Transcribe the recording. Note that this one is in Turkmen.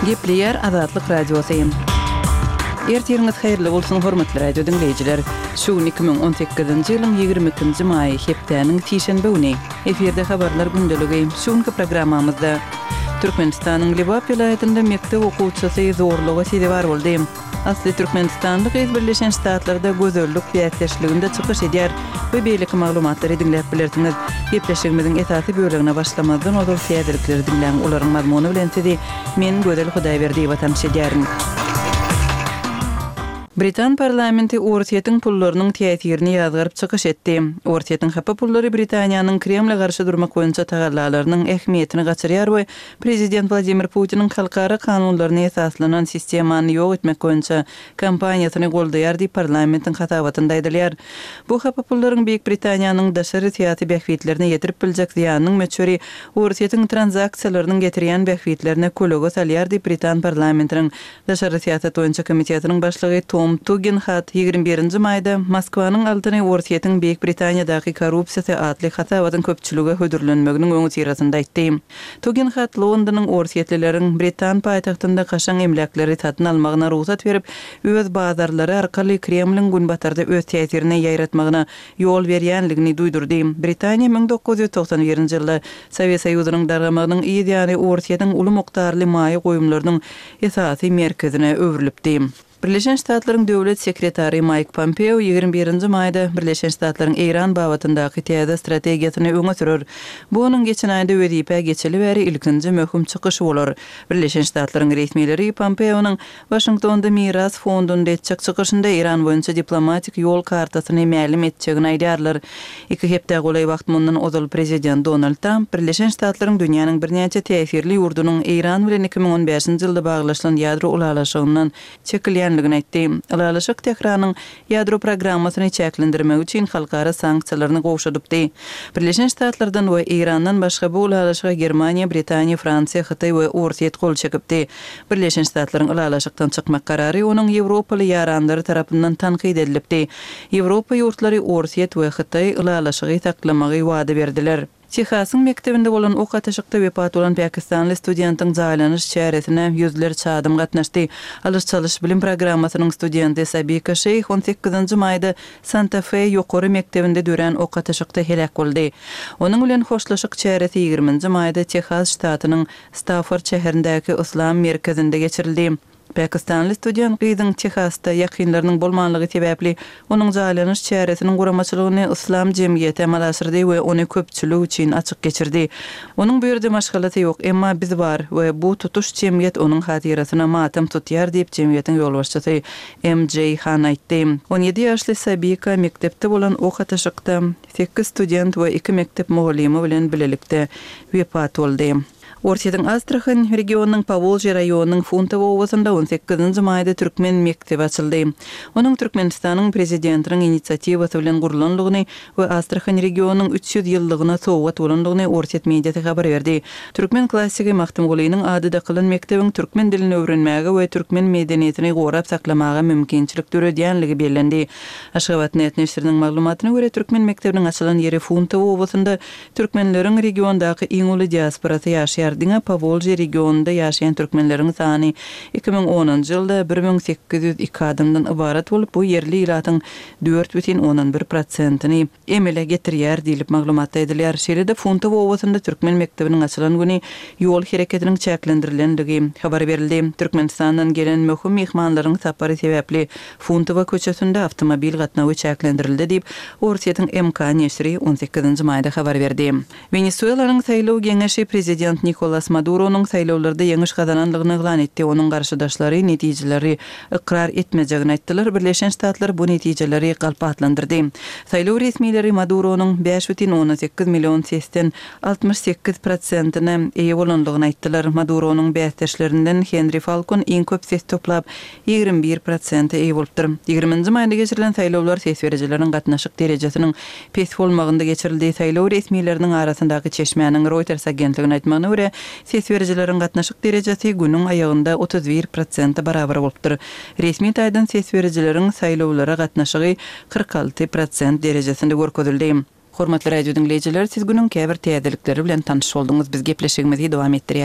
Gepleýär Azatlyk Radiosy. Ertiriňiz haýyrly bolsun, hormatly radio diňleýjiler! Şu gün 2018-nji ýylyň 22-nji maýy, hepdäniň sişenbe güni. Efirde habarlar gündeligi. Şu günki programmamyzda Türkmenistanyň Lebap welaýatynda mekdep okuwçysy zorluga sezewar boldy. Asly türkmenistanly gyz Birleşen Ştatlarda gözellik bäsdeşliginde çykyş edýär we beýleki maglumatlary diňläp bilersiňiz. Gepleşigimiziň esasy bölegine başlamazdan ozal täzelikleri diňläň, olaryň mazmuny bilen sizi men Gözel Hudaýberdiýewa tanyş edýärin. Britan parlamenti Orsýetiň pullarynyň täsirini ýazgaryp çykyş etdi. Orsýetiň hapa pullary Britaniýanyň Kremle garşy durmak boýunça tagallalarynyň ähmiýetini gaçyrýar we Prezident Wladimir Putiniň halkara kanunlaryna esaslanan sistemany ýok etmek boýunça kampaniýasyny goldaýar diýip, parlamentiň hasabatynda aýdylýar. Bu hapa pullaryň Beýik Britaniýanyň daşary syýasy bähbitlerine ýetirip biljek zyýanynyň möçberi Orsýetiň tranzaksiýalarynyň getirýän bähbitlerine kölege salýar diýip, britan parlamentiniň Daşary syýasat boýunça komitetiniň başlygy Tom Tugenhat 21 nji maýda Moskwanyň altyny Orsýetiň Beýik Britaniýadaky korrupsiýasy atly hasabatyň köpçülige hödürlenmeginiň öňüsyrasynda aýtdy. Tugenhat Londonyň orsýetlileriň britan paýtagtynda kaşaň emläkleri satyn almagyna rugsat berip, öz bazarlary arkaly Kremliň Günbatarda öz täsirini ýaýratmagyna ýol berýänligini duýdurdy. Britaniýa 1991-nji ýylda Sowet Soýuzynyň dargamagynyň yz ýany Orsýetiň uly mukdarly maýa goýumlarynyň esasy merkezine öwrülipdi. Birleşen Ştatlaryň Döwlet sekretary Maýk Pompeo 21-nji maýda Birleşen Ştatlaryň Eýran babatyndaky täze strategiýasyny öňe sürer. Bu onuň geçen aýda wezipä geçeli bäri ilkinji möhüm çykyşy bolar. Birleşen Ştatlaryň resmileri Pompeonyň Waşingtonda Miras fondunda etjek çykyşynda Eýran boýunça diplomatik ýol kartasyny mälim etjegini aýdýarlar. Iki hepdä golaý wagt mundan ozal prezident Donald Tramp Birleşen Ştatlaryň dünýäniň birnäçe täsirli ýurdunyň Eýran bilen 2015-nji ýylda baglaşylan ýadro ylalaşygyndan çekilýändigini aýtdy. Ylalaşyk Tähranyň ýadro programmasyny çäklendirmegi üçin halkara sanksiýalaryny gowşadypdy. Birleşen Ştatlardan we Eýrandan başga bu ylalaşyga Germaniýa, Britaniýa, Fransiýa, Hytaý we Orsýet gol çekipdi. Birleşen Ştatlaryň ylalaşykdan çykmak karary onuň ýewropaly ýaranlary tarapyndan tankyt edilipdi. Ýewropa ýurtlary Orsýet we Hytaý ylalaşygy saklamagy wada berdiler. Tehasyň mekdebinde bolan ok atyşykda wepat bolan pakistanly studentiň jaýlanyş çäresine ýüzlerçe adam gatnaşdy. Alyş-çalyş bilim programmasynyň studenti Sabika Şeýh on sekizinji maýda Santa-Fe ýokary mekdebinde dörän ok atyşykda heläk boldy. Onuň bilen hoşlaşyk çäresi ýigriminji maýda Tehas ştatynyň Stafford şäherindäki Yslam merkezinde geçirildi. Pakistanly student gyzyň Tehasda ýakynlarynyň bolmanlygy sebäpli, onuň jaýlanyş çäresiniň guramaçylygyny Yslam jemgyýeti amala aşyrdy we ony köpçülik üçin açyk geçirdi. Onuň bu ýerde maşgalasy ýok, emma biz bar we bu tutuş jemgyýet onuň hatyrasyna matam tutýar diýip, jemgyýetiň ýolbaşçysy MJ Han aýtdy. 17 ýaşly Sabika mekdepde bolan ok atyşykda sekiz student we iki mekdep mugallymy bilen bilelikde wepat boldy. Orsýetiň Astrahan regionynyň Powolžýe raýonynyň Funtowo obasynda on sekizinji maýda türkmen mekdebi açyldy. Onuň Türkmenistanyň Prezidentiniň inisiatiwasy bilen gurlandygyny we Astrahan regionynyň 300 ýyllygyna sowgat bolandygyny orsýet mediasy habar berdi. Türkmen klassigi Magtymgulynyň ady dakylan mekdebiň türkmen dilini öwrenmäge we türkmen medeniýetini gorap saklamaga mümkinçilik döredýänligi bellendi. Aşgabat net neşiriniň maglumatyna görä, türkmen mekdebiniň açylan ýeri Funtowo obasynda Türkmenleriň regiondaky iň uly diasporasy ýaşaýar. Diňe Powolžýe regionynda ýaşaýan türkmenleriň sany 2010-njy ýylda 1802 adamdan ybarat bolup, bu ýerli ilatyň 4,1 prosentini emele getirýär diýlip, maglumatda aýdylýar. Şeýle-de Funtowo obasynda türkmen mekdebiniň açylan güni ýol hereketiniň çäklendirilendigi habar berildi. Türkmenistandan gelen möhüm myhmanlaryň sapary sebäpli Funtowa köçesinde awtomobil gatnawy çäklendirildi diýip, Orsýetiň MK neşiri on sekizinji maýda habar berdi. Wenesuelanyň saýlaw geňeşi prezident Nikolas Maduronyň saýlawlarda ýeňiş gazananlygyny yglan etdi, onuň garşydaşlary netijeleri ykrar etmejegini aýtdylar, Birleşen Ştatlar bu netijeleri galp atlandyrdy. Saýlaw resmileri Maduronyň 5,8 million sesden 68 prosentine eýe bolanlygyny aýtdylar. Maduronyň bäsdeşlerinden Henri Falkon iň köp ses toplap, 21 prosente eýe bolupdyr. Ýigriminji maýda geçirilen saýlawlar ses berijileriň gatnaşyk derejesiniň pes bolmagynda geçirildi. Saýlaw resmileriniň arasyndaky çeşmäniň Reuters agentligine aýtmagyna görä, ses berijileriň gatnaşyk derejesi günüň aýagynda 31 prosente barabar bolupdyr. Resmi taýdan ses berijileriň saýlawlara gatnaşygy 46 prosent derejesinde görkezildi. Hormatly radio diňleýjiler, siz günüň käbir täzelikleri bilen tanyş bolduňyz. Biz gepleşigimizi dowam etdirýäris.